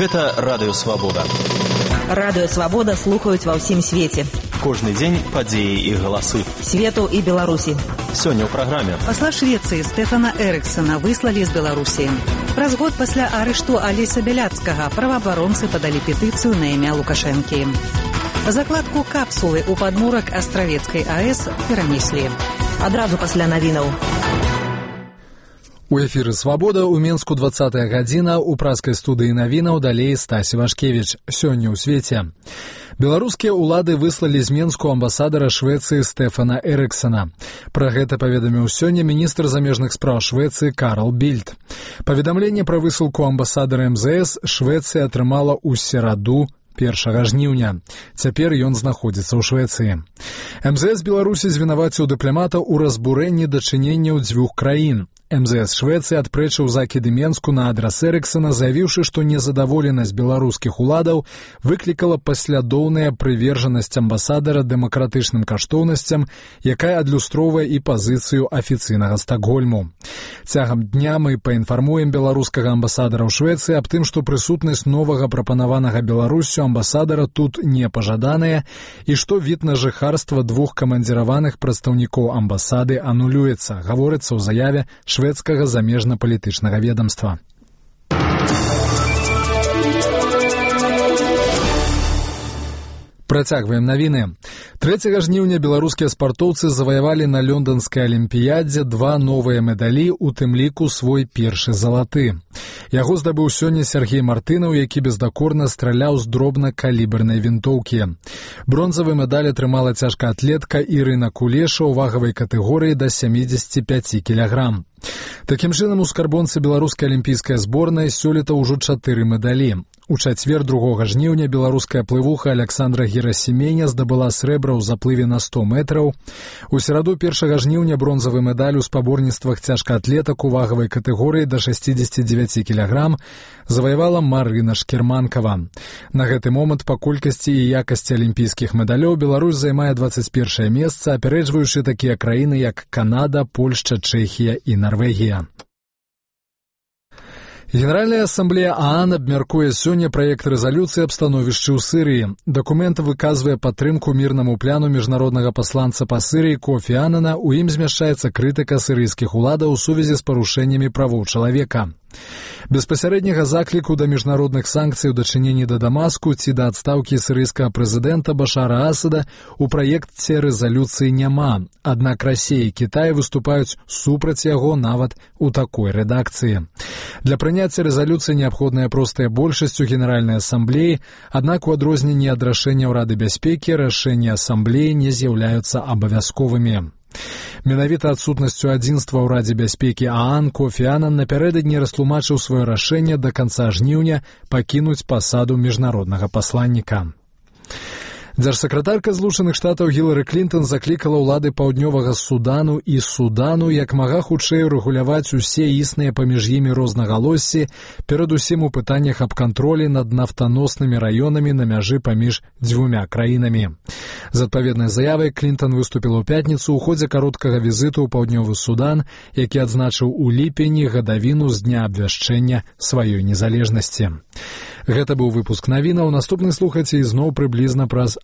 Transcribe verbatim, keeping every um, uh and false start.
Гэта Радыё Свабода. Радыё Свабода слухаюць ва ўсім свеце. Кожны дзень падзеі і галасы. Свету і Беларусі. Сёння ў праграме. Пасла Швецыі Стэфана Эрыксона выслалі з Беларусі. Праз год пасля арышту Алеся Бяляцкага праваабаронцы падалі петыцыю на імя Лукашэнкі. Закладку капсулы ў падмурак Астравецкай АЭС перанеслі. Адразу пасля навінаў. У эфіры «Свабода» ў Менску двадцатая гадзіна, у праскай студыі навінаў далей Стасі Вашкевіч. Сёння ў свеце. Беларускія ўлады выслалі з Менску амбасадара Швецыі Стэфана Эрыксона. Пра гэта паведаміў сёння міністр замежных спраў Швецыі Карл Більд. Паведамленне пра высылку амбасадара эм зэ эс Швецыя атрымала ў сераду першага жніўня. Цяпер ён знаходзіцца ў Швецыі. эм зэ эс Беларусі звінаваціў дыпламата ў разбурэнні дачыненняў дзвюх краін. эм зэ эс Швецыі адпрэчыў закіды Менску на адрас Эрыксона, заявіўшы, што незадаволенасць беларускіх уладаў выклікала паслядоўная прывержанасць амбасадара дэмакратычным каштоўнасцям, якая адлюстроўвае і пазіцыю афіцыйнага Стакгольму. Цягам дня мы паінфармуем беларускага амбасадара ў Швецыі аб тым, што прысутнасць новага прапанаванага Беларуссю амбасадара тут не пажаданая і што від на жыхарства двух камандзіраваных прадстаўнікоў амбасады анулюецца, гаворыцца ў заяве шведскага замежна-палітычнага ведамства. Працягваем навіны. трэцяга жніўня беларускія спартоўцы заваявалі на лёнданскай алімпіядзе два новыя медалі, у тым ліку свой першы залаты. Яго здабыў сёння Сергей Мартынаў, які бездакорна страляў з дробнакалібернай вінтоўкі. Бронзавы медаль атрымала цяжкаатлетка Ірына Кулеша ў вагавай катэгорыі да сямідзесяці пяці кілаграм. Такім чынам, у скарбонцы беларускай алімпійскай зборнай сёлета ўжо чатыры медалі. У чацвер другога жніўня беларуская плывуха Александра Герасіменя здабыла срэбра ў заплыве на сто метраў. У сераду першага жніўня бронзавы медаль у спаборніцтвах цяжкаатлетак у вагавай катэгорыі да шасцідзесяці дзевяці кілаграм заваявала Марына Шкерманкава. На гэты момант па колькасці і якасці алімпійскіх медалёў Беларусь займае дваццаць першае месца, апярэджваючы такія краіны, як Канада, Польшча, Чэхія і Нарвегія. Генеральная ассамблея ААН абмяркуе сёння праект рэзалюцыі аб становішчы ў Сырыі. Дакумент выказвае падтрымку мірнаму пляну міжнароднага пасланца па Сырыі Кофі Анана, у ім змяшчаецца крытыка сырыйскіх уладаў у сувязі з парушэннямі правоў чалавека. Беспасярэдняга закліку да міжнародных санкцый у дачыненні да Дамаску ці да адстаўкі сырыйскага прэзідэнта Башара Асада у праекце рэзалюцыі няма, аднак Расія і Кітай выступаюць супраць яго нават у такой рэдакцыі. Для прыняцця рэзалюцыі неабходная простая большасць у Генеральнай ассамблеі, аднак у адрозненні ад рашэнняў Рады бяспекі рашэнні ассамблеі не з'яўляюцца абавязковымі. Менавіта адсутнасцю адзінства ў Радзе бяспекі ААН Кофі Анан напярэдадні растлумачыў сваё рашэнне да канца жніўня пакінуць пасаду міжнароднага пасланніка. Дзяржсакратарка Злучаных Штатаў Гілары Клінтон заклікала ўлады паўднёвага Судану і Судану як мага хутчэй рэгуляваць усе існыя паміж імі рознагалоссі, перадусім у пытаннях аб кантролі над нафтаноснымі раёнамі на мяжы паміж дзвюмя краінамі. З адпаведнай заявай Клінтон выступіла ў пятніцу ў ходзе кароткага візіту ў паўднёвы Судан, які адзначыў у ліпені гадавіну з дня абвяшчэння сваёй незалежнасці. Гэта быў выпуск навінаў. Наступны слухайце ізноў прыблізна праз